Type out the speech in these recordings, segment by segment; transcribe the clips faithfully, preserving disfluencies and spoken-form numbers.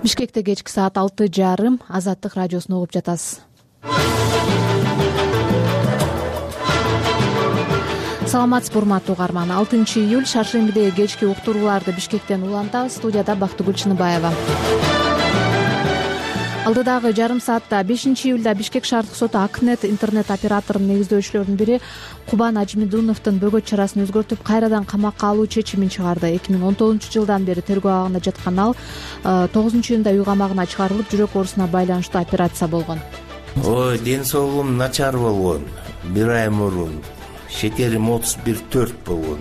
Бишкекте кечки саат алты жарым Азаттык радиосун угуп жатасыз. Саламатсызбы урматтуу угарман. алтынчы июль шаршембидеги кечки уктурууларды Бишкектен улантабыз. Студияда Бактыгүл Чыныбаева. Алдыдагы жарым саатта бешинчи июлда Бишкек шаардык соту Акнет интернет операторунун негиздөөчүлөрүнүн бири Кубан Ажмидуновдун бөгөт чарасын өзгөртүп, кайрадан камакка алуу чечимин чыгарды. эки миң он тогузунчу жылдан бери тергөө абагында жаткан ал тогузунчу июнда үй камагына чыгарылып, жүрөк оорусуна байланыштуу операция болгон. Ой, ден соолугум начар болгон. Бир ай мурун шекерим отуз бир төрт болгон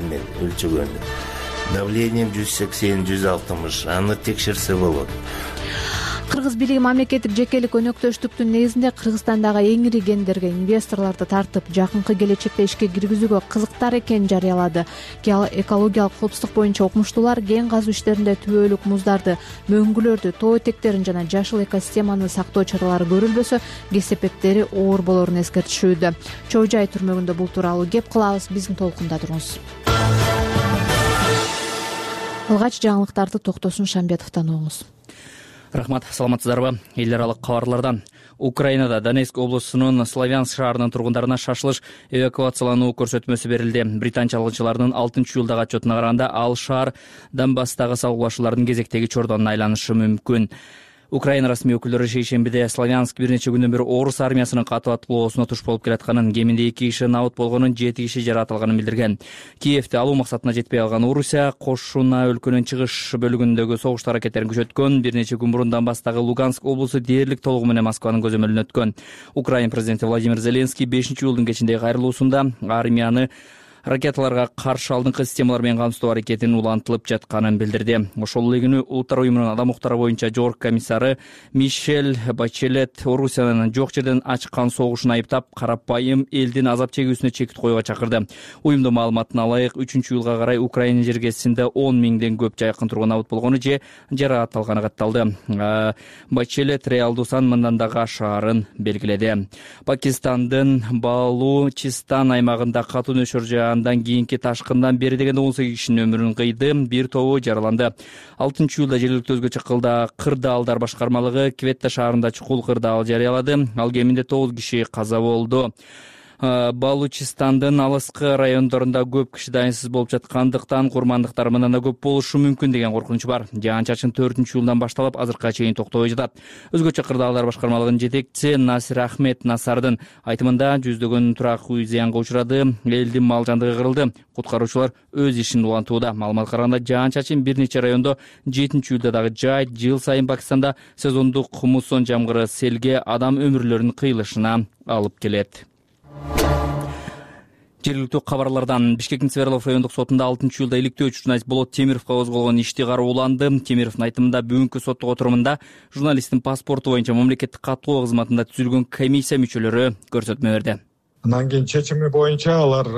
мен өлчөгөндө. Давлением жүз сексен жүз алтымыш. Аны текшерсе болот. Кыргыз бийлиги мамлекеттик жекелик өнөктөштүктүн негизинде Кыргызстандагы эң ири кендерге инвесторлорду тартып, жакынкы келечекте ишке киргизүүгө кызыктар экенин жарыялады. Экологиялык коопсуздук боюнча окумуштуулар кен казуу иштеринде түбөлүк муздарды, мөңгүлөрдү, тоо этектерин жана жашыл экосистеманы сактоо чаралары көрүлбөсө, кесепеттери оор болорун эскертишүүдө. Чоо Жай түрмөгүндө бул тууралуу кеп кылабыз. Биздин толкунда туруңуз. Алгач жаңылыктарды Токтосун Шамбетовдон угуңуз. Рахмат, саламатсыздарбы? Эл аралык кабарлардан. Украинада Донецк облусунун Славянск шаарынын тургундарына шашылыш эвакуациялануу көрсөтмөсү берилди. Британ чалгынчыларынын алтынчы июлдагы отчетуна караганда, ал шаар Донбасстагы салгылашуулардын кезектеги чордонуна айланышы мүмкүн. Украина расмий өкүлдөрү шейшембиде Славянск бир нече күндөн бери орус армиясынын катуу аткылоосуна туш болуп келатканын, кеминде эки киши набыт болгонун, жети киши жаратылганын билдирген. Киевди алуу максатына жетпей калган Орусия кошуна өлкөнүн чыгыш бөлүгүндөгү согуш аракеттерин күчөткөн. Бир нече күн мурун Донбасстагы Луганск облусу дээрлик толугу менен Москванын көзөмөлүнө өткөн. Украина президенти Владимир Зеленский бешинчи июлдун кечиндеги кайрылуусунда армияны ракеталарга каршы алдыңкы системалар менен камсыздоо аракетинин улантылып жатканын билдирди. Ошол эле күнү Улуттар уюмунун адам укуктары боюнча жогорку комиссары Мишель Бачелет Орусиянын жок жерден ачкан согушун айыптап, карапайым элдин азап чегүүсүнө чекит коюуга чакырды. Уюмдун маалыматына ылайык, үчүнчү июлга карай Украина жергесинде он миңден көп жайкын тургун набыт болгону же жараатталганы катталды. Бачелет реалдуу сан мындан да ашаарын белгиледи. Пакистандын Балучистан аймагында катуу нөшөр андан кийинки ташкындан бери дегенде он сегиз кишинин өмүрүн кыйды, бир тобу жараланды. алтынчы июлда жергиликтүү өзгөчө кылда кырдаалдар башкармалыгы Кветта шаарында чукул кырдаал жарыялады. Ал кеминде тогуз киши каза болду. Балучистандын алыскы райондорунда көп киши дайынсыз болуп жаткандыктан курмандыктар мындан да көп болушу мүмкүн деген коркунуч бар. Жаан-чачын төртүнчү июлдан башталып, азыркыга чейин токтобой жатат. Өзгөчө кырдаалдар башкармалыгынын жетекчиси Насир Ахмед Насардын айтымында жүздөгөн турак үй зыянга учурады, элдин мал жандыгы кырылды. Куткаруучулар өз ишин улантууда. Маалыматка караганда, жаан-чачын бир нече райондо жетинчи июлда дагы жайт. Жыл сайын Пакистанда сезондук муссон жамгыры селге адам өмүрлөрүнүн кыйылышына алып келет. Жергиликтүү кабарлардан. Бишкектин Свердлов райондук сотунда алтынчы июлда иликтөөчү журналист Болот Темировго козголгон ишти карооланды. Темировдун айтымында, бүгүнкү соттук отурумунда журналисттин паспорту боюнча мамлекеттик катталуу кызматында түзүлгөн комиссия мүчөлөрү көрсөтмө берди. Андан кийин чечими боюнча алар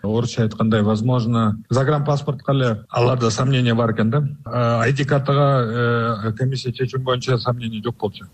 орусча айткандай, возможно, загранпаспортко эле аларда сомнение бар экен да. ай ди картага комиссия чечими боюнча сомнение жок болчу.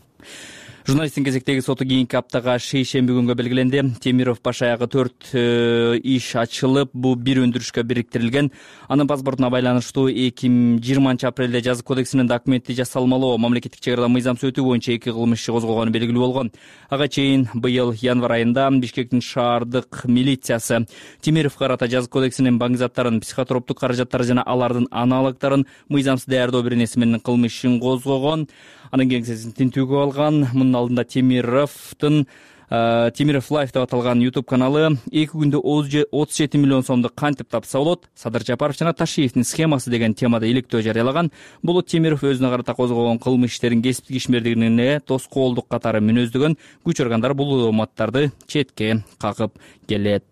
Журналисттин кезектеги соту кийинки аптага шейшемби күнгө белгиленди. Темиров баш аягы төрт иш ачылып, бул бир өндүрүшкө бириктирилген. Анын паспортуна байланыштуу эки миң жыйырманчы апрелде жазык кодексинин документи жасалмалоо мамлекеттик чек арада мыйзам сөтүү боюнча эки кылмыш иши козголгону белгилүү болгон. Ага чейин быйыл январь айында Бишкектин шаардык милициясы Темировго карата жазык кодексинин баңгизаттарын, психотроптук каражаттары жана алардын аналогдорун мыйзамсыз даярдоо беренеси менен кылмыш ишин козгогон. Анын кеңсесин тинтүүгө алган. Мунун алдында Темировдун Темиров Лайф деп аталган YouTube каналы эки күндө отуз жети миллион сомду кантип тапса болот, Садыр Жапаров жана Ташиевдин схемасы деген темада иликтөө жарыялаган. Бул Темиров өзүнө карата козгогон кылмыш иштерин кесиптик ишмердигине тоскоолдук катары мүнөздөгөн. Күч органдары бул мааттарды четке какып келет.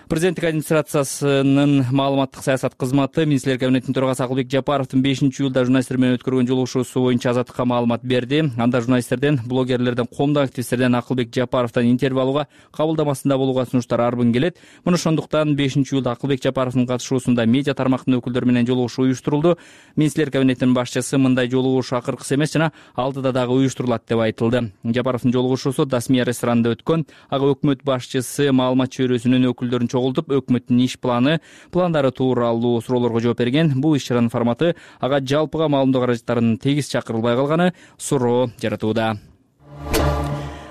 Президенттик администрациясынын маалыматтык саясат кызматы министрлер кабинетинин төрагасы Акылбек Жапаровдун бешинчи июлда журналисттер менен өткөргөн жолугушуусу боюнча Азаттыкка маалымат берди. Анда журналисттерден, блогерлерден, коомдук активисттерден Акылбек Жапаровдон интервью алууга, кабылдамасында болууга сунуштар арбын келет. Мына ошондуктан бешинчи июлда Акылбек Жапаровдун катышуусунда медиа тармактын өкүлдөрү менен жолугушуу уюштурулду. Министрлер кабинетинин башчысы мындай жолугушуу акыркысы эмес жана алдыда дагы уюштурулат деп айтылды. Жапаровдун жолугушуусу Дасмия ресторанында өткөн. Ага өкмөт башчысы маалымат чөйрөсүнүн өкүлдөрүн чогултуп өкмөттүн иш планы пландары тууралуу суроолорго жооп берген. Бул иш чаранын форматы ага жалпыга маалымдоо каражаттарынын тегиз чакырылбай калганы суроо жаратууда.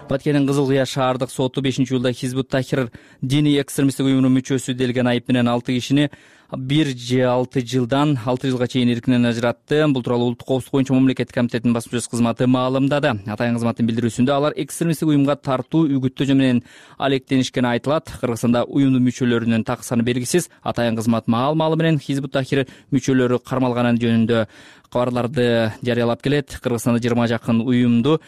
Баткендин Кызыл Кыя шаардык соту бешинчи июлда Хизбут Тахрир диний экстремисттик уюмунун мүчөсү делген айып менен алты кишини бир же алты жылдан алты жылга чейин эркинен ажыратты. Бул тууралуу Улуттук коопсуздук боюнча мамлекеттик комитеттин басма сөз кызматы маалымдады. Атайын кызматтын билдирүүсүндө алар экстремисттик уюмга тартуу үгүттөө менен алектенишкени айтылат. Кыргызстанда уюмдун мүчөлөрүнүн так саны белгисиз. Атайын кызмат маалымалы менен Хизбут Тахрир мүчөлөрү кармалганы жөнүндө кабарларды жарыялап келет. Кыргызстанда жыйырма жакын уюмду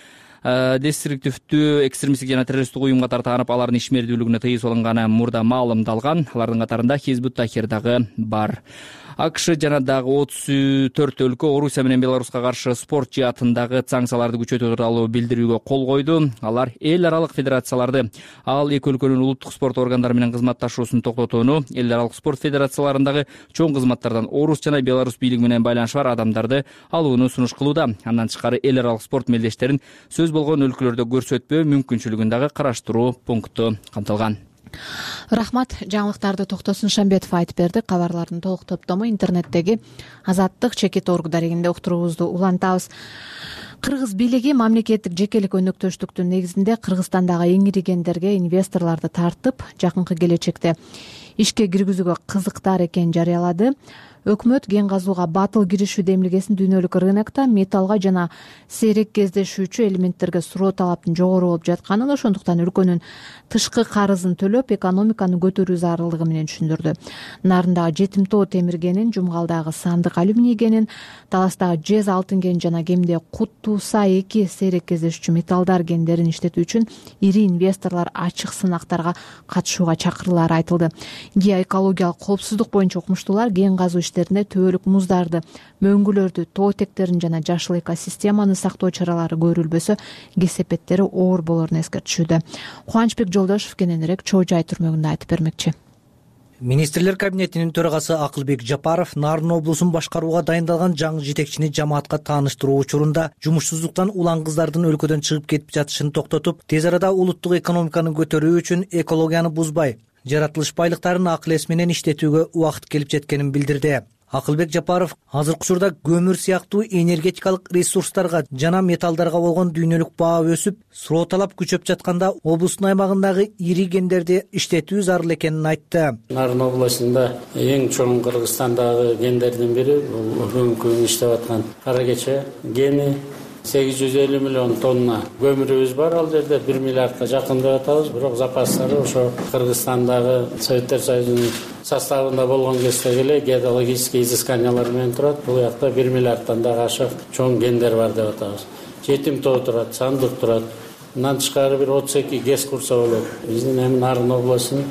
деструктивдүү экстремисттик жана террористтик уюмга тартанып, алардын ишмердүүлүгүнө тыюу салынганы мурда маалымдалган. Алардын катарында Хизбут Тахрир дагы бар. АКШ жана дагы отуз төрт өлкө Орусия менен Беларуска каршы спорт жаатындагы санкцияларды күчөтүү тууралуу билдирүүгө кол койду. Алар эл аралык федерацияларды, ал эки өлкөнүн улуттук спорт органдары менен кызматташуусун токтотууну, эл аралык спорт федерацияларындагы чоң кызматтардан орус жана беларус бийлиги менен байланышы бар адамдарды алууну сунуш кылууда. Андан тышкары эл аралык спорт мелдештерин сөз болгон өлкөлөрдө көрсөтпөө мүмкүнчүлүгүн дагы караштыруу пункту камтылган. Рахмат. Жаңылыктарды Токтосун Шамбетов айтып берди. Кабарлардын толук топтому интернеттеги Азаттык чекит орг дарегинде уктуруубузду улантабыз. Кыргыз бийлиги мамлекеттик жекелик өнөктөштүктүн негизинде Кыргызстандагы эң ири кендерге инвесторлорду тартып, жакынкы келечекте ишке киргизүүгө кызыктар экенин жарыялады. Өкмөт кен казууга батыл киришүү демилгесин дүйнөлүк рынокто металлга жана сейрек кездешүүчү элементтерге суроо талаптын жогору болуп жатканын, ошондуктан өлкөнүн тышкы карызын төлөп, экономиканы көтөрүү зарылдыгы менен түшүндүрдү. Нарындагы жетим тоо темир кенин, Жумгалдагы сандык алюминий кенин, Таластагы жез алтын кенин жана кемде Кут Туса эки сейрек кездешүүчү металлдар кендерин иштетүү үчүн ири инвесторлор ачык сынактарга катышууга чакыруулары айтылды. Геоэкологиялык коопсуздук боюнча укмуштуулар кен казуу төбөлүк муздарды, мөңгүлөрдү, тоо этектерин жана жашыл экосистеманы сактоо чаралары көрүлбөсө, кесепеттери оор болорун эскертишүүдө. Кубанычбек Жолдошов кененирээк Чоо Жай түрмөгүндө айтып бермекчи. Министрлер кабинетинин төрагасы Акылбек Жапаров Нарын облусун башкарууга дайындалган жаңы жетекчини жамаатка тааныштыруу учурунда жумушсуздуктан улан кыздардын өлкөдөн чыгып кетип жатышын токтотуп, тез арада улуттук экономиканы көтөрүү үчүн экологияны бузбай, жаратылыш байлыктарын акыл эс менен иштетүүгө убакыт келип жеткенин билдирди. Акылбек Жапаров азыркы учурда көмүр сыяктуу энергетикалык ресурстарга жана металлдарга болгон дүйнөлүк баа өсүп, суроо талап күчөп жатканда облустун аймагындагы ири кендерди иштетүү зарыл экенин айтты. Нарын областында эң чоң Кыргызстандагы кендердин бири бул бүгүнкү күндө иштеп аткан Кара Кече кени. сегиз жүз элүү миллион тонна көмүрүбүз бар, ал жерде бир миллиардка жакын деп атабыз. Бирок запастары ошо Кыргызстандагы Советтер Союзунун составында болгон кезде эле геологический изысканиялар менен турат. Бул жакта бир миллиардтан дагы ашык чоң кендер бар деп атабыз. Жетим тоо турат, сандык турат. Мындан тышкары бир отуз эки ГЭС курса болот. Биздин эми Нарын облусунун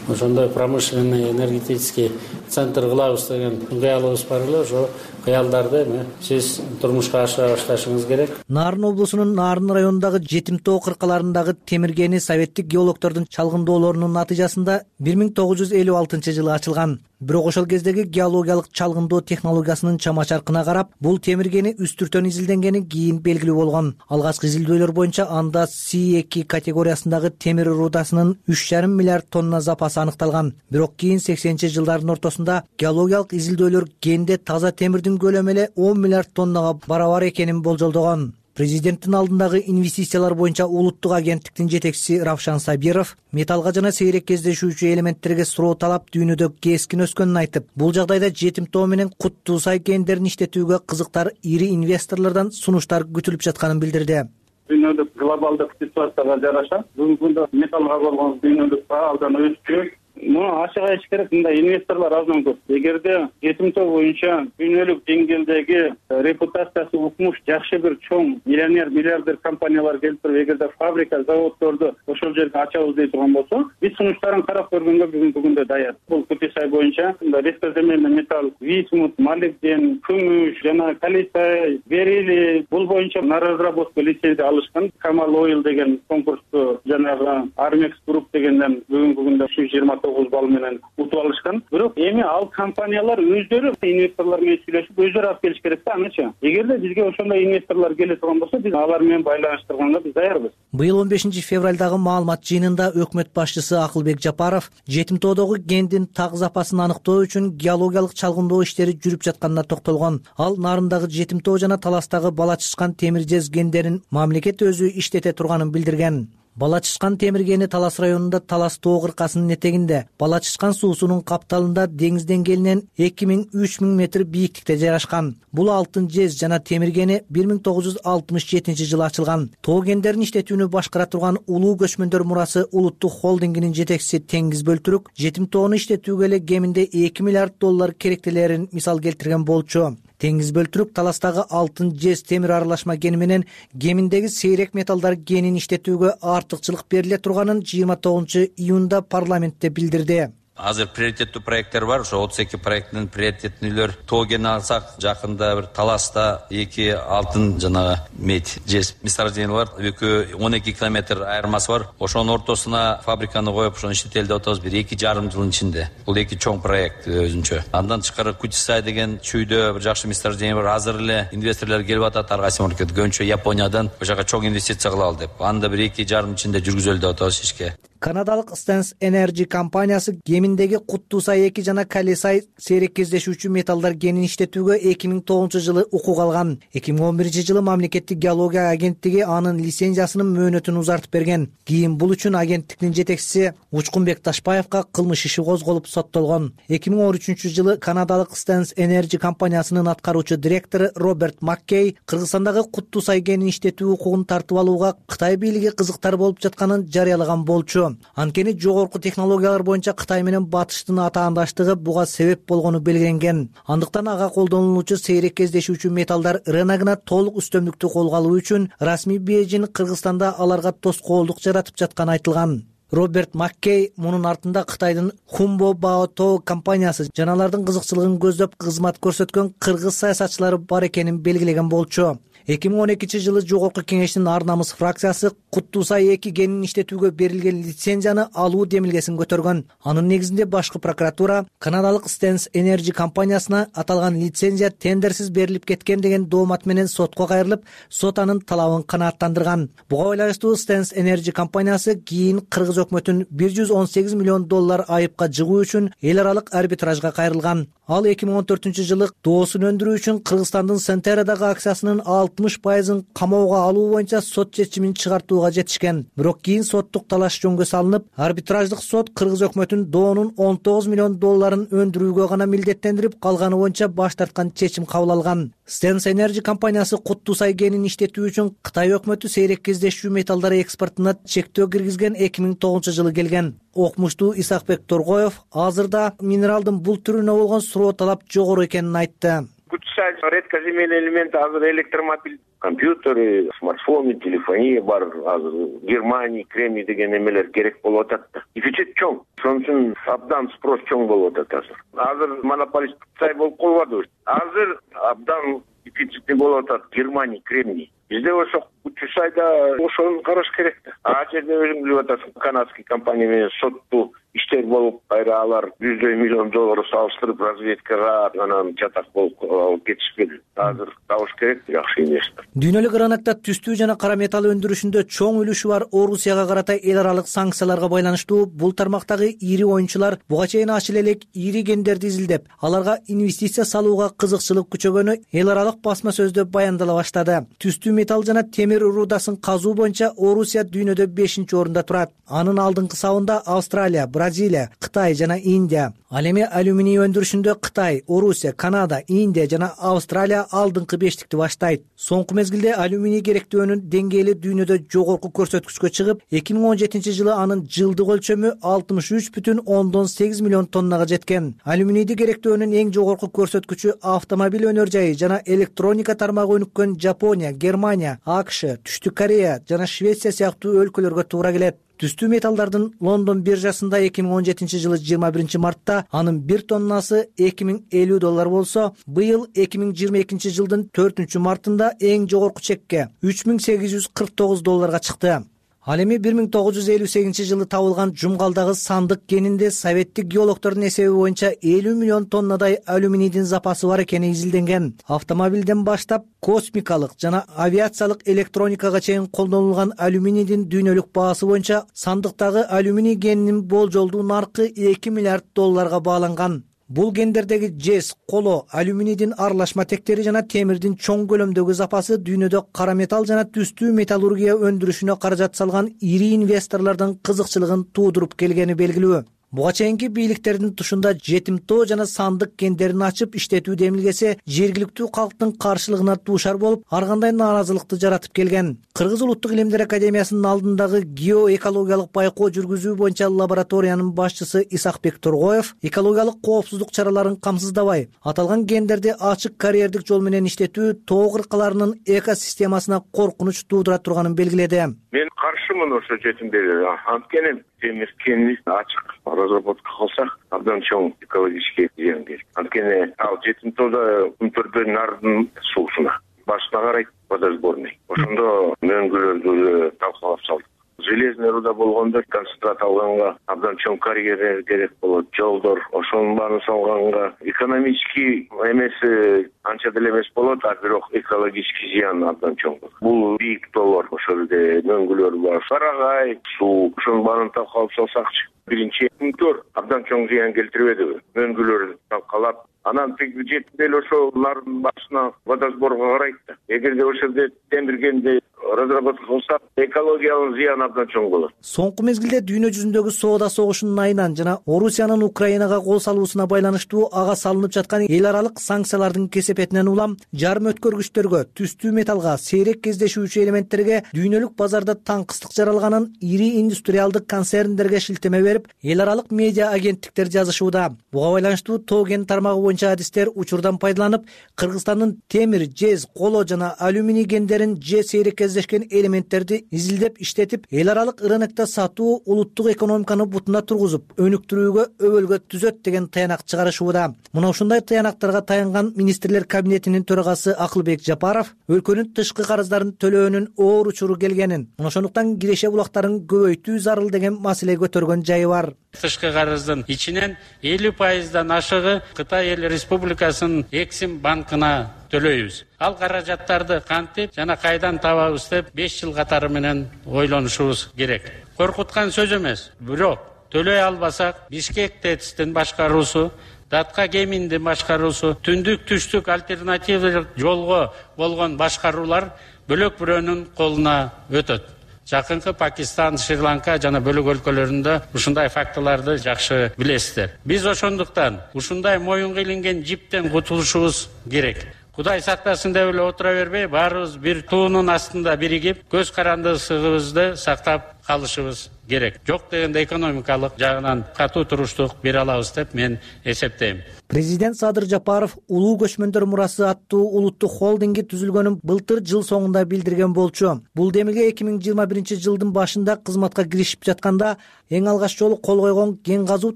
ошондой промышленный энергетический центр кылабыз деген кыялыбыз бар эле. Ошо кыялдарды эми сиз турмушка ашыра башташыңыз керек. Нарын облусунун Нарын районундагы жетим тоо кыркаларындагы темир кени советтик геологдордун чалгындоолорунун натыйжасында бир миң тогуз жүз элүү алтынчы жылы ачылган. Бирок ошол кездеги геологиялык чалгындоо технологиясынын чама-чаркына карап, бул темир кени үстүртөн изилденгени кийин белгилүү болгон. Алгачкы изилдөөлөр боюнча анда Си эки категориясындагы темир рудасынын үч жарым миллиард тонна запасы аныкталган. Бирок кийин сексенинчи жылдардын ортосунда геологиялык изилдөөлөр кенде таза темирдин көлөмү эле он миллиард тоннага барабар экенин болжолдогон. Президенттин алдындагы инвестициялар боюнча улуттук агенттиктин жетекчиси Равшан Сабиров металлга жана сейрек кездешүүчү элементтерге суроо талап дүйнөдө кескин өскөнүн айтып, бул жагдайда жетим тоо менен Кут Туса кендерин иштетүүгө кызыктар ири инвесторлордон сунуштар күтүлүп жатканын билдирди. Дүйнөлүк глобалдык ситуацияга жараша бүгүнкү күндө металлга болгон дүйнөлүк баа абдан өскөн. Муну ачык айтыш керек, мындай инвесторлор аздан көп. Эгерде жетим тоо боюнча дүйнөлүк деңгээлдеги репутациясы укмуш жакшы бир чоң миллионер, миллиардер компаниялар келип туруп, эгерде фабрика, заводдорду ошол жерге ачабыз дей турган болсо, биз сунуштарын карап көргөнгө бүгүнкү күндө даяр. Бул Кутисай боюнча редкоземельный металл, висмут, молибден, күмүш жана калиций, берилий, бул боюнча на разработку лицензия алышкан. Камал Ойл деген конкурсту жанагы Армекс Групп дегенден бүгүнкү күндө жыйырма тогуз балл менен утуп алышкан. Бирок эми ал компаниялар өздөрү инвесторлор менен сүйлөшүп өздөрү алып келиш керек да, анычы. Эгерде бизге ошондой инвесторлор келе турган болсо, биз алар менен байланыштырганга биз даярбыз. Быйыл он бешинчи февралдагы жөнүндөгү маалымат жыйынында өкмөт башчысы Акылбек Жапаров жетим тоодогу кендин так запасын аныктоо үчүн геологиялык чалгындоо иштери жүрүп жатканына токтолгон. Ал нарындагы жетим тоо жана Таластагы Бала Чычкан темир жез кендерин мамлекет өзү иштете турганын билдирген. Бала Чычкан темир кени Талас районунда Талас тоо кыркасынын этегинде, Бала Чычкан суусунун капталында деңиз деңгээлинен эки миң үч миң метр бийиктикте жайгашкан. Бул алтын жез жана темир кени бир миң тогуз жүз алтымыш жетинчи жылы ачылган. Тоо кендерин иштетүүнү башкара турган Улуу көчмөндөр мурасы улуттук холдингинин жетекчиси Теңиз Бөлтүрүк жетим тоону иштетүүгө эле кеминде эки миллиард доллар керектелерин мисал келтирген болчу. Теңиз Бөлтүрүк Таластагы алтын жез темир аралашма кени менен кеминдеги сейрек металлдар кенин иштетүүгө артыкчылык бериле турганын жыйырма тогузунчу июнда парламентте билдирди. Азыр приоритеттүү проекттер бар. Ошо отуз эки проекттин приоритеттүүлөр тоо кени алсак, жакында бир Таласта эки алтын жана медь жез месторождение бар. Экөө он эки километр айырмасы бар. Ошонун ортосуна фабриканы коюп, ошону иштетели деп атабыз бир эки жарым жылдын ичинде. Бул эки чоң проект өзүнчө. Андан тышкары Кутисай деген чүйдө бир жакшы месторождение бар. Азыр эле инвесторлор келип атат. Ар кайсы мамлекет көбүнчө Япониядан ошол жака чоң инвестиция кылалы деп. Аны да бир эки жарым ичинде жүргүзөлү деп атабыз ишке. Канадалык Stans Energy компаниясы кеминдеги Куттусай эки жана Калесай сейрек кездешүүчү металлдар кенин иштетүүгө эки миң тогузунчу жылы укук алган. эки миң он биринчи жылы мамлекеттик геология агенттиги анын лицензиясынын мөөнөтүн узартып берген. Кийин бул үчүн агенттиктин жетекчиси Учкунбек Ташпаевга кылмыш иши козголуп соттолгон. эки миң он үчүнчү жылы канадалык Stans Energy компаниясынын аткаруучу директору Роберт Маккей Кыргызстандагы Куттусай кенин иштетүү укугун тартып алууга Кытай бийлиги кызыктар болуп жатканын жарыялаган болчу. Анткени жогорку технологиялар боюнча Кытай менен Батыштын атаандаштыгы буга себеп болгону белгиленген. Андыктан ага колдонулуучу сейрек кездешүүчү металлдар рыногуна толук үстөмдүктү колго алуу үчүн расмий Бейжин Кыргызстанда аларга тоскоолдук жаратып жатканы айтылган. Роберт Маккей мунун артында Кытайдын Хумбо Баото компаниясы жана алардын кызыкчылыгын көздөп кызмат көрсөткөн кыргыз саясатчылары бар экенин белгилеген болчу. эки миң он экинчи жылы Жогорку Кеңештин Ар намыс фракциясы Куттусай эки кенин иштетүүгө берилген лицензияны алуу демилгесин көтөргөн. Анын негизинде башкы прокуратура канадалык Stans Energy компаниясына аталган лицензия тендерсиз берилип кеткен деген доомат менен сотко кайрылып, сот анын талабын канааттандырган. Буга байланыштуу Stans Energy компаниясы кийин кыргыз өкмөтүн бир жүз он сегиз миллион доллар айыпка жыгуу үчүн эл аралык арбитражга кайрылган. Ал эки миң он төртүнчү жылы доосун өндүрүү үчүн Кыргызстандын Сентерадагы акциясынын алтымыш пайызын камоого алуу боюнча сот чечимин чыгартууга жетишкен. Бирок кийин соттук талаш жөнгө салынып, арбитраждык сот кыргыз өкмөтүн доонун он тогуз миллион долларын өндүрүүгө гана милдеттендирип, калганы боюнча баш тарткан чечим кабыл алган. Stans Energy компаниясы Куттусай кенин иштетүү үчүн Кытай өкмөтү сейрек кездешүү металлдар экспортуна чектөө киргизген эки миң тогузунчу жылы келген. Окумуштуу Исакбек Торгоев азырда минералдын бул түрүнө болгон суроо талап жогору экенин айтты. Кутисай редкоземельный элемент азыр электромобиль, компьютеры, смартфоны, телефония бар. Азыр Германия, Кремний деген эмелер керек болуп атат да. Дефицит чоң. Ошон үчүн абдан спрос чоң болуп атат азыр. Азыр монополист Кутай болуп калбады. Азыр абдан дефицитный болуп атат Германия, Кремний. Бизде ошо Кутисайда ошону караш керек да. А жерде өзүң билип атасың, канадский компания менен соттуу иштер болуп, кайра алар жүздөй миллион доллар салыштырып разведкага анан жатак болуп алып кетишпеди. Азыр табыш керек жакшы инвестор. Дүйнөлүк рынокто түстүү жана кара металл өндүрүшүндө чоң үлүшү бар Орусияга карата эл аралык санкцияларга байланыштуу бул тармактагы ири оюнчулар буга чейин ачыл элек ири кендерди изилдеп, аларга инвестиция салууга кызыкчылык күчөгөнү эл аралык басма сөздө баяндала баштады. Түстүү металл жана темир рудасын казуу боюнча Орусия дүйнөдө бешинчи орунда турат. Анын алдыңкы сабында Австралия, Бразилия, Кытай жана Индия. Ал эми алюминий өндүрүшүндө Кытай, Орусия, Канада, Индия жана Австралия алдыңкы бештикти баштайт. Соңку мезгилде алюминий керектөөнүн деңгээли дүйнөдө жогорку көрсөткүчкө чыгып, эки миң он жетинчи жылы анын жылдык өлчөмү алтымыш үч бүтүн ондон сегиз миллион тоннага жеткен. Алюминийди керектөөнүн эң жогорку көрсөткүчү автомобиль өнөр жайы жана электроника тармагы өнүккөн Жапония, Германия, АКШ, Түштүк Корея жана Швеция сыяктуу өлкөлөргө туура келет. Түстүү металлдардын Лондон биржасында эки миң он жетинчи жылы жыйырма биринчи мартта анын бир тоннасы эки миң элүү доллар болсо, быйыл эки миң жыйырма экинчи жылдын төртүнчү мартында эң жогорку чекке үч миң сегиз жүз кырк тогуз долларга чыкты. Ал эми бир миң тогуз жүз элүү сегизинчи жылы табылган Жумгалдагы сандык кенинде советтик геологтордун эсеби боюнча элүү миллион тоннадай алюминийдин запасы бар экени изилденген. Автомобилден баштап космикалык жана авиациялык электроникага чейин колдонулган алюминийдин дүйнөлүк баасы боюнча сандыктагы алюминий кенинин болжолдуу наркы эки миллиард долларга бааланган. Бул гендердеги жез, коло, алюминийдин аралашма тектери жана темирдин чоң көлөмдөгү запасы дүйнөдө кара металл жана түстүү металлургия өндүрүшүнө каражат салган ири инвесторлордун кызыкчылыгын туудуруп келгени белгилүү. Буга чейинки бийликтердин тушунда жетимтоо жана сандык кендерин ачып иштетүү демилгесе жергиликтүү калктын каршылыгына дуушар болуп, ар кандай нааразылыкты жаратып келген. Кыргыз улуттук илимдер академиясынын алдындагы геоэкологиялык байкоо жүргүзүү боюнча лабораториянын башчысы Исакбек Тургоев экологиялык коопсуздук чараларын камсыздабай, аталган кендерди ачык карьердик жол менен иштетүү тоо кыркаларынын экосистемасына коркунуч туудура турганын белгиледи. Мен каршымын ошо жетимдерге. Анткени темир кенин ачык разработка кылсак абдан чоң экологический зыян келет. Анткени ал жетимтоодо күмтөрдө нардын суусуна башына карайт водосборный. Ошондо мөңгүлөрдү талкалап салдык. Железный руда болгондо концентрат алганга абдан чоң карьера керек болот. Жолдор ошонун баарын салганга экономический эмеси анча деле эмес болот, а бирок экологический зыян абдан чоң болот. Бул бийик тоолор, ошол жерде мөңгүлөр бар, сарагай, суу, ошонун баарын талкалап салсакчы. Биринчи күмтөр абдан чоң зыян келтирбедиби? Мөңгүлөрдү талкалап, анан тиги жетип эле ошол нардын башына водосборго карайт да. Эгерде ошол жерде темиргенди разработка кылсак, экологиялык зыян абдан чоң болот. Соңку мезгилде дүйнө жүзүндөгү соода согушунун айынан жана Орусиянын Украинага кол салуусуна байланыштуу ага салынып жаткан эл аралык санкциялардын кесепетинен улам жарым өткөргүчтөргө, түстүү металлга, сейрек кездешүүчү элементтерге дүйнөлүк базарда таңкыстык жаралганын ири индустриалдык концерндерге шилтеме берип, эл аралык медиа агенттиктер жазышууда. Буга байланыштуу тоо кен тармагы боюнча адистер учурдан пайдаланып, Кыргызстандын темир, жез, коло жана алюминий кендерин же сейрек кездешкен элементтерди изилдеп иштетип, эл аралык рынокто сатуу улуттук экономиканы бутуна тургузуп, өнүктүрүүгө өбөлгө түзөт деген таянак чыгарышууда. Мына ушундай таянактарга таянган министрлер кабинетинин төрагасы Акылбек Жапаров өлкөнүн тышкы карыздарын төлөөнүн оор учуру келгенин, мына ошондуктан киреше булактарын көбөйтүү зарыл деген маселе көтөргөн жайы бар. Тышкы карыздын ичинен элүү пайыздан ашыгы Кытай эл республикасынын Эксим банкына төлөйбүз. Ал каражаттарды кантип жана кайдан табабыз деп беш жыл катары менен ойлонушубуз керек. Коркуткан сөз эмес, бирок төлөй албасак Бишкек ТЭЦтин башкаруусу, Датка кеминдин башкаруусу, түндүк түштүк альтернативдик жолго болгон башкаруулар бөлөк бирөөнүн колуна өтөт. Жакынкы Пакистан, Шри-Ланка жана бөлөк өлкөлөрүндө ушундай фактыларды жакшы билесиздер. Биз ошондуктан ушундай моюнга илинген жиптен кутулушубуз керек. Кудай сактасын деп эле отура бербей, баарыбыз бир туунун астында биригип, көз карандысыбызды сактап калышыбыз керек. Жок дегенде экономикалык жагынан катуу туруштук бере алабыз деп мен эсептейм. Президент Садыр Жапаров улуу көчмөндөр мурасы аттуу улуттук холдинги түзүлгөнүн былтыр жыл соңунда билдирген болчу. Бул демилге эки миң жыйырма биринчи жылдын башында кызматка киришип жатканда эң алгач жолу кол койгон кен казуу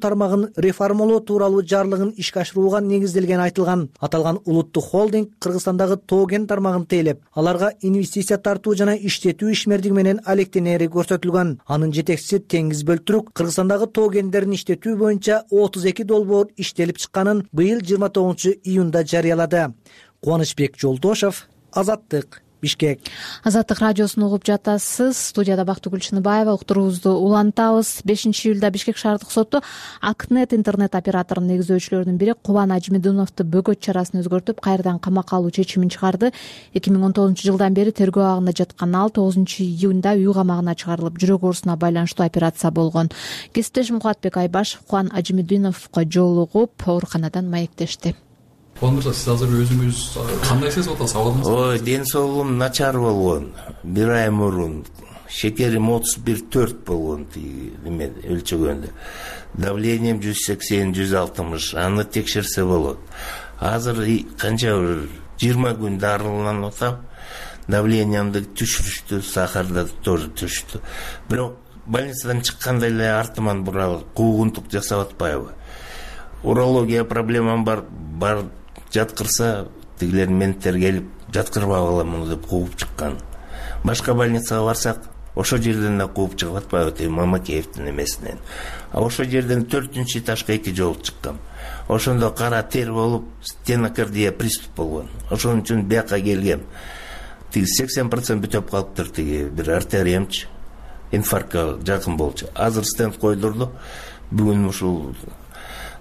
тармагын реформалоо тууралуу жарлыгын ишке ашырууга негизделгени айтылган. Аталган улуттук холдинг Кыргызстандагы тоо кен тармагын тейлеп, аларга инвестиция тартуу жана иштетүү ишмердиги менен алектенери көрсөтүлгөн. Анын жетекчиси Теңиз Бөлтүрүк Кыргызстандагы тоо кендерин иштетүү боюнча отуз эки долбоор иштелип чыкканын быйыл жыйырма тогузунчу июнда жарыялады. Кубанычбек Жолдошов, Азаттык, Бишкек. Азаттык радиосун угуп жатасыз. Студияда Бактыгүл Чыныбаева. Уктуруубузду улантабыз. бешинчи июлда Бишкек шаардык соту Акнет интернет операторунун негиздөөчүлөрүнүн бири Кубан Ажимидуновду бөгөт чарасын өзгөртүп, кайрадан камакка алуу чечимин чыгарды. эки миң он тогузунчу жылдан бери тергөө абагында жаткан ал тогузунчу июнда үй камагына чыгарылып, жүрөк оорусуна байланыштуу операция болгон. Кесиптешим Кубатбек Айбашев Кубан Ажимидуновго жолугуп, ооруканадан маектешти. Кубан мырза, сиз азыр өзүңүз кандай сезип атасыз? Абалыңыз? Ой, ден соолугум начар болгон. Бир ай мурун шекерим отуз бир төрт болгон, эме өлчөгөндө. Давлением жүз сексен жүз алтымыш, аны текшерсе болот. Азыр канча бир жыйырма күн дарыланып атам. Давлениямды түшүрүштү, сахарды тоже түштү. Бирок больницадан чыкканда эле артыман буралып, куугунтук жасап атпайбы? Урология проблемам бар, бар жаткырса, тигилер менттер келип, жаткырбап аламын деп кууп чыккан. Башка больницага барсак, ошол жерден да кууп чыгып атпайбы тиги Мамакеевдин эмесинен. А ошол жерден төртүнчү этажга эки жолу чыккам. Ошондо кара тер болуп стенокардия приступ болгон. Ошон үчүн бияка келгем. Тиги сексен процент бүтөп калыптыр, тиги бир артериямчы. Инфарктка жакын болчу. Азыр стенд койдурду. Бүгүн ушул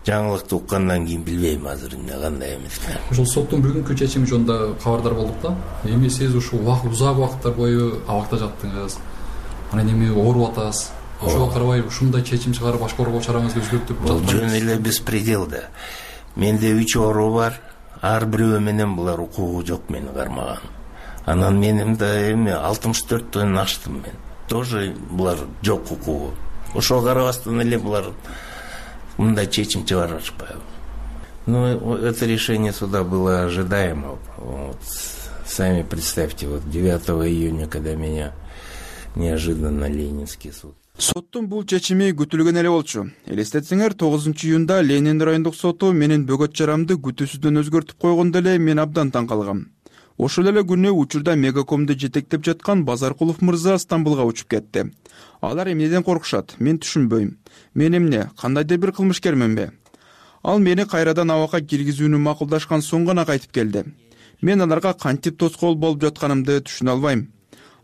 жаңылыкты уккандан кийин билбейм азыр эмне кандай эмес. Ошол соттун бүгүнкү чечими жөнүндө кабардар болдук да. Эми сиз ушул узак убакыттар бою абакта жаттыңыз. Анан эми ооруп атасыз. Ошого карабай ушундай чечим чыгарып башкарууга чараңызды өзгөртүп жатпайбы? Жөн эле беспредел да. Менде үч оору бар. Ар бирөө менен булар укугу жок мени кармаган. Анан менин да эми алтымыш төрттөн аштым мен. Тоже булар жок укугу. Ошого карабастан эле булар мындай чечим чыгарып атышпайбы. Ну, это решение суда было ожидаемо. Вот. Сами представьте, вот девятого июня, когда меня неожиданно Ленинский суд. Соттун бул чечими күтүлгөн эле болчу. Элестетсеңер, тогузунчу июнда Ленин райондук соту менин бөгөт чарамды күтүүсүздөн өзгөртүп койгондо эле мен абдан таң калгам. Ошол эле күнү учурда Мегакомду жетектеп жаткан Базаркулов мырза Стамбулга учуп кетти. Алар эмнеден коркушат? Мен түшүнбөйм. Мен эмне, кандайдыр бир кылмышкерменби? Ал мени кайрадан абакка киргизүүнү макулдашкан соң гана кайтып келди. Мен аларга кантип тоскоол болуп жатканымды түшүнө албайм.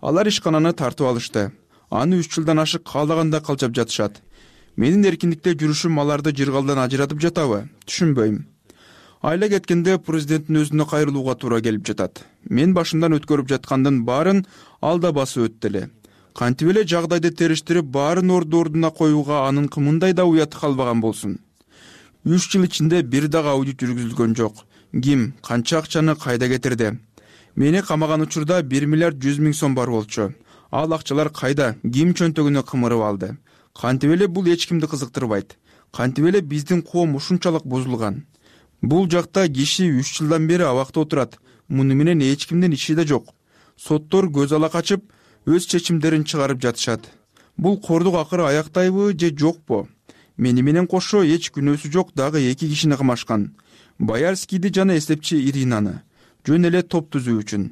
Алар ишкананы тартып алышты. Аны үч жылдан ашык каалаганда калчап жатышат. Менин эркиндикте жүрүшүм аларды жыргалдан ажыратып жатабы? Түшүнбөйм. Айла кеткенде президенттин өзүнө кайрылууга туура келип жатат. Мен башымдан өткөрүп жаткандын баарын ал да басып өттү эле. Кантип эле жагдайды териштирип баарын орду ордуна коюуга анын мындай да уяты калбаган болсун. үч жыл ичинде бир дагы аудит жүргүзүлгөн жок. Ким, канча акчаны кайда кетирди? Мени камаган учурда бир миллиард жүз миң сом бар болчу. Ал акчалар кайда? Ким чөнтөгүнө кымырып алды? Кантип эле бул эч кимди кызыктырбайт? Кантип эле биздин коом ушунчалык бузулган? Бул жакта киши үч жылдан бери абакта отурат. Муну менен эч кимдин иши да жок. Соттор көз ала качып, өз чечимдерин чыгарып жатышат. Бул кордук акыры аяктайбы же жокпу? Мени менен кошо эч күнөөсү жок дагы эки кишини кымашкан. Боярскийди жана эстепчи Иринаны. Жөн эле топ түзүү үчүн.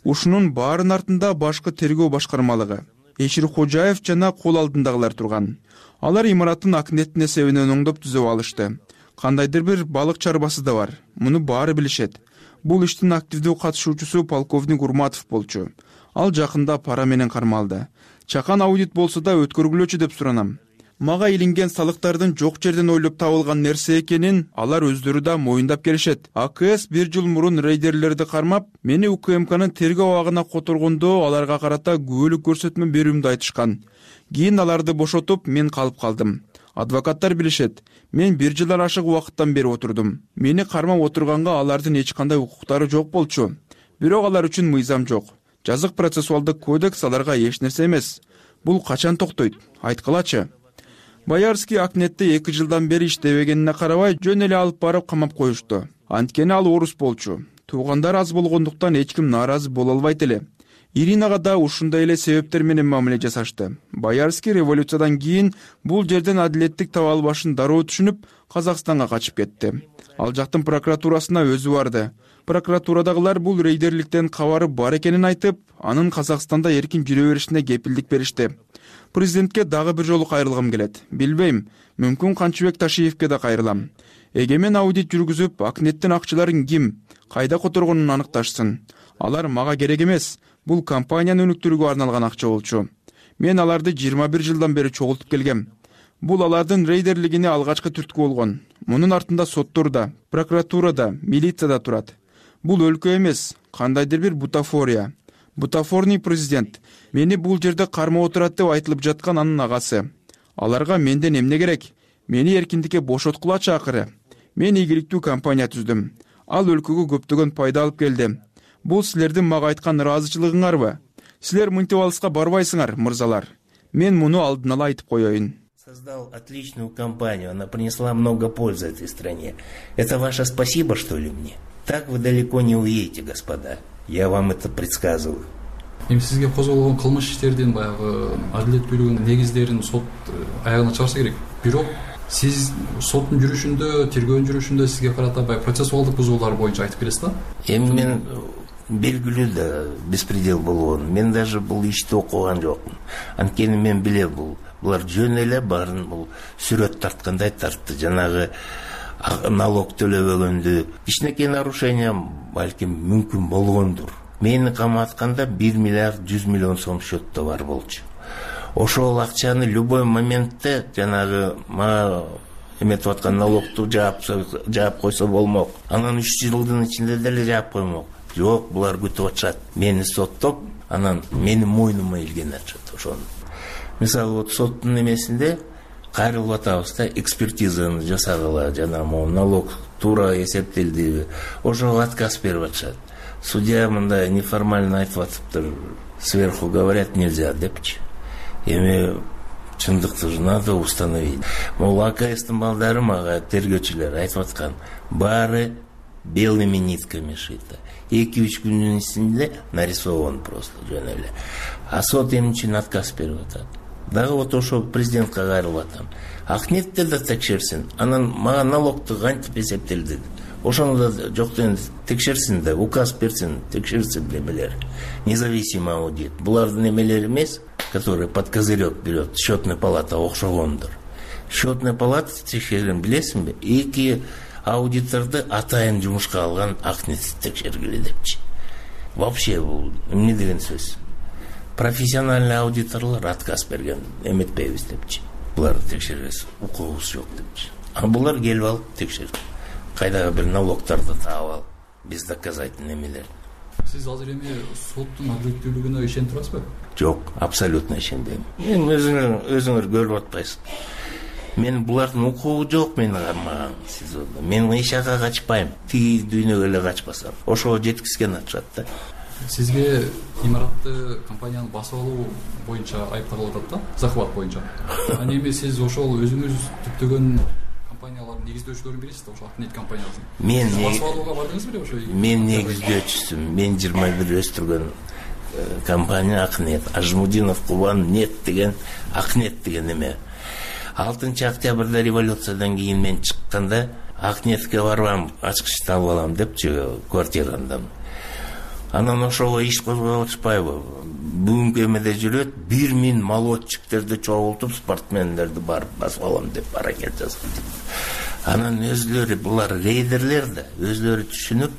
Ушунун баарын артында башкы тергөө башкармалыгы, Эширкожаев жана кол алдындагылар турган. Алар имараттын акнеттин эсебинен оңдоп түзөп алышты. Кандайдыр бир балык чарбасы да бар. Муну баары билишет. Бул иштин активдүү катышуучусу полковник Урматов болчу. Ал жакында пара менен кармалды. Чакан аудит болсо да өткөргүлөчү деп суранам. Мага илинген салыктардын жок жерден ойлоп табылган нерсе экенин алар өздөрү да моюндап келишет. АКС бир жыл мурун рейдерлерди кармап, мени УКМКнын тергөө абагына которгондо аларга карата күбөлүк көрсөтмө берүүмдү айтышкан. Кийин аларды бошотуп, мен калып калдым. Адвокаттар билишет. Мен бир жылдан ашык убакыттан бери отурдум. Мени кармап отурганга алардын эч кандай укуктары жок болчу. Бирок алар үчүн мыйзам жок. Жазык процессуалдык кодекс аларга эч нерсе эмес. Бул качан токтойт? Айткылачы. Боярский Акнетте эки жылдан бери иштебегенине карабай, жөн эле алып барып камап коюшту. Анткени ал орус болчу. Туугандар аз болгондуктан эч ким нааразы боло албайт эле. Иринага да ушундай эле себептер менен мамиле жасашты. Боярский революциядан кийин бул жерден адилеттик таба албашын дароо түшүнүп, Казакстанга качып кетти. Ал жактын прокуратурасына өзү барды. Прокуратурадагылар бул рейдерликтен кабары бар экенин айтып, анын Казакстанда эркин жүрө беришине кепилдик беришти. Президентке дагы бир жолу кайрылгым келет. Билбейм, мүмкүн Канчыбек Ташиевке да кайрылам. Эгемен аудит жүргүзүп, Акнеттин акчаларын ким, кайда которгонун аныкташсын. Алар мага керек эмес. Бул компанияны өнүктүрүүгө арналган акча болчу. Мен аларды жыйырма бир жылдан бери чогултуп келгем. Бул алардын рейдерлигине алгачкы түрткү болгон. Мунун артында сотторда, прокуратурада, милицияда турат. Бул өлкө эмес, кандайдыр бир бутафория. Бутафорный президент. Мени бул жерде кармап отурат деп айтылып жаткан анын агасы. Аларга менден эмне керек? Мени эркиндикке бошоткулачы акыры. Мен ийгиликтүү компания түздүм. Ал өлкөгө көптөгөн пайда алып келди. Бул силердин мага айткан ыраазычылыгыңарбы? Силер мынтип алыска барбайсыңар, мырзалар. Мен муну алдын ала айтып коеюн. Создал отличную компанию, она принесла много пользы этой стране. Это ваше спасибо, что ли, мне? Так вы далеко не уедете, господа. Я вам это предсказываю. Эми сизге козголгон кылмыш иштердин баягы адилет бүлүгүнүн негиздерин сот аягына чыгарса керек. Бирок сиз соттун жүрүшүндө, тергөөнүн жүрүшүндө сизге карата баягы процессуалдык бузуулар боюнча айтып келесиз да? Эми мен белгилүү да беспредел болгон. Мен даже бул ишти окуган жокмун. Анткени мен билем, бул булар жөн эле баарын бул сүрөт тарткандай тартты. Жанагы налог төлөбөгөндү, кичинекей нарушение балким мүмкүн болгондур. Мени каматканда бир миллиард жүз миллион сом счетто бар болчу. Ошол акчаны любой моментте жанагы мага эметип аткан налогту жаап жаап койсо болмок. Анан үч жылдын ичинде деле жаап коймок. Жок, булар күтүп атышат. Мени соттоп, анан менин мойнума илген атышат ошону. Мисалы, вот соттун эмесинде кайрылып атабыз да, экспертизаны жасагыла, жана могу налог туура эсептелдиби, ошого отказ берип атышат. Судья мындай неформально айтып атыптыр, сверху говорят нельзя депчи. Эми чындыкты же надо установить. Могу АКСтин балдары мага тергөөчүлөр айтып аткан, баары белыми нитками шито. эки-үч күндүн ичинде нарисован просто жөн эле. А сот эмне үчүн отказ берип атат? Дагы вот ошо президентке кайрылып атам. Акнетте да текшерсин, анан мага налогту кантип эсептелди? Ошону да жоктон текшерсин да, указ берсин, текшерсин немелер. Независимый аудит. Булардын немелери эмес, которые под козырек берет, счетная палата окшогондур. Счетная палата текшерген билесиңби? Эки аудиторду атайын жумушка алган Акнет текшергиле депчи. Вообще бул эмне деген сөз? Профессиональный аудиторлор отказ берген, эметпейбиз депчи. Буларды текшербес, укугубуз жок депчи. А булар келип алып текшерди. Кайдагы бир налогтарды таап алып, биз доказательный эмелер. Сиз азыр эми соттун адилеттүүлүгүнө ишенип турасызбы? Жок, абсолютно ишенбейм. Мен өзүңөр өзүңөр көрүп атпайсыз. Мен булардын укугу жок менин кармаган СИЗОдо. Мен эч жака качпайм. Тиги дүйнөгө эле качпасам. Ошого жеткизген атышат да. Сизге имаратты компаниянын басып алуу боюнча айыпталып атат да, захват боюнча. Аны эми сиз ошол өзүңүз түптөгөн компаниялардын негиздөөчүлөрүн бересиз да, ошо Акнет компаниясын. Мен басып алууга бардыңыз беле ошо? Мен негиздөөчүсүм. Мен жыйырма бир өстүргөн компания Акнет. Ажмудинов Кубан нет деген Акнет деген эме. алтынчы октябрда революциядан кийин мен чыкканда Акнетке барбам, ачкычты алып алам депчи квартирамдан. Анан ошого иш козгоп атышпайбы? Бүгүнкү эмеде жүрөт, бир миң молодчиктерди чогултуп, спортмендерди барып басып алам деп аракет жасады. Анан өзлөрү булар рейдерлер да, өзлөрү түшүнүп,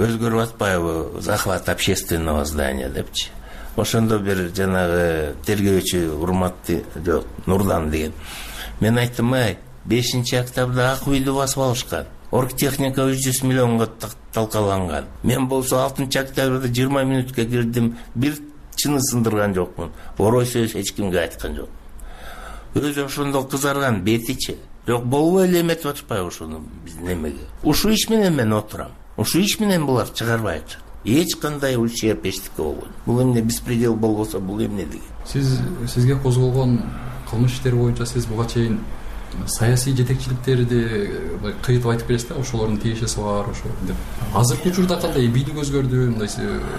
өзгөрүп атпайбы, захват общественного здания депчи. Ошондо бир жанагы тергөөчү урматты жок, Нурдан деген. Мен айттым, ай, бешинчи октябрда ак үйдү басып алышкан. Оргтехника үч жүз миллионго талкаланган. Мен болсо алтынчы октябрда жыйырма мүнөткө кирдим, бир чыны сындырган жокмун. Орой сөз эч кимге айткан жок. Өзү ошондо кызарган бетичи. Жок, болбой эле эметип атышпайбы ошону биздин эмеге. Ушул иш менен мен отурам. Ушул иш менен булар чыгарбай атышат. Эч кандай ущерб эчтеке болгон. Бул эмне беспредел болбосо бул эмне деген? Сиз сизге козголгон кылмыш иштери боюнча сиз буга чейин саясий жетекчиликтерди кыйтып айтып бересиз да, ошолордун тиешеси бар, ошо деп. Азыркы учурда кандай бийлик өзгөрдү, мындай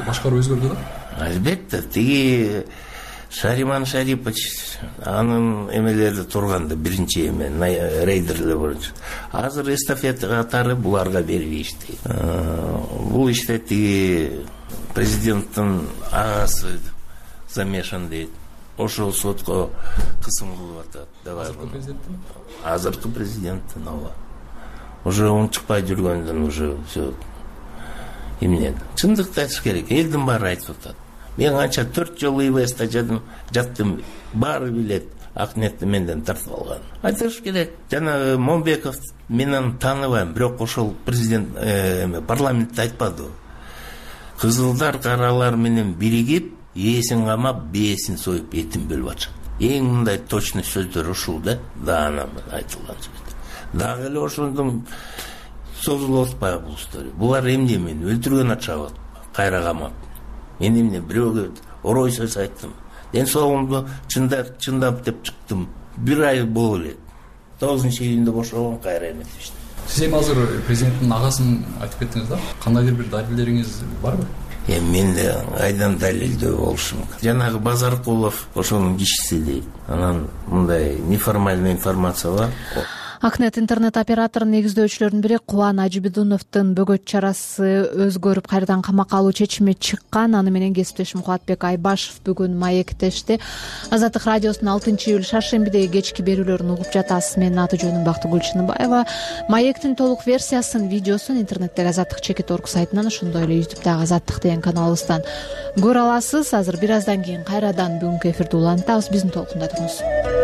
башкаруу өзгөрдү да? Албетте, тиги Шариман Шарипович анын эмелери турганда биринчи эме рейдерлер боюнча. Азыр эстафета катары буларга берип ишти. Бул иште тиги президенттин агасы замешан дейт. Ошол сотко кысым кылып атат. Азыркы президенттин? Азыркы президенттин, ооба. Уже унчукпай жүргөндөн уже все эмне. Чындыкты айтыш керек. Элдин баары айтып атат. Мен анча төрт жолу ИВСте жаттым, жаттым, баары билет. Акнетти менден тартып алган. Айтыш керек. Жана Момбеков менен тааныбайм, бирок ошол президент эме парламентте айтпады. Кызылдар каралар менен биригип, ээсин камап, бээсин союп, этин бөлүп атышат. Эң мындай точный сөздөр ушул да, даана айтылган сөздөр. Дагы эле ошондон созулуп атпайбы бул история. Булар эмне мени өлтүргөн атышабы, кайра камап. Мен эмне бирөөгө орой сөз айттым. Ден соолугумду чындап, чындап деп чыктым. Бир ай болуп элек. тогузунчу июнда бошогон, кайра эметишти. Сиз эми азыр президенттин агасын айтып кеттиңиз да? Кандайдыр бир далилдериңиз барбы? Эми менде айдан далилдөө болушу мүмкүн. Жанагы Базаркулов ошонун кишиси дейт. Анан мындай неформальный информация бар. Акнет интернет операторунун негиздөөчүлөрүнүн бири Кубан Ажибидуновдун бөгөт чарасы өзгөрүп кайрадан камакка алуу чечими чыккан. Аны менен кесиптешим Кубатбек Айбашев бүгүн маектешти. Азаттык радиосунун алтынчы июль шаршембидеги кечки берүүлөрүн угуп жатасыз. Менин аты жөнүм Бактыгүл Чыныбаева. Маектин толук версиясын, видеосун интернеттеги Азаттык чекит орг сайтынан, ошондой эле ютубтагы Азаттык деген каналыбыздан көрө аласыз. Азыр бир аздан кийин кайрадан бүгүнкү эфирди улантабыз. Биздин толкунда туруңуз.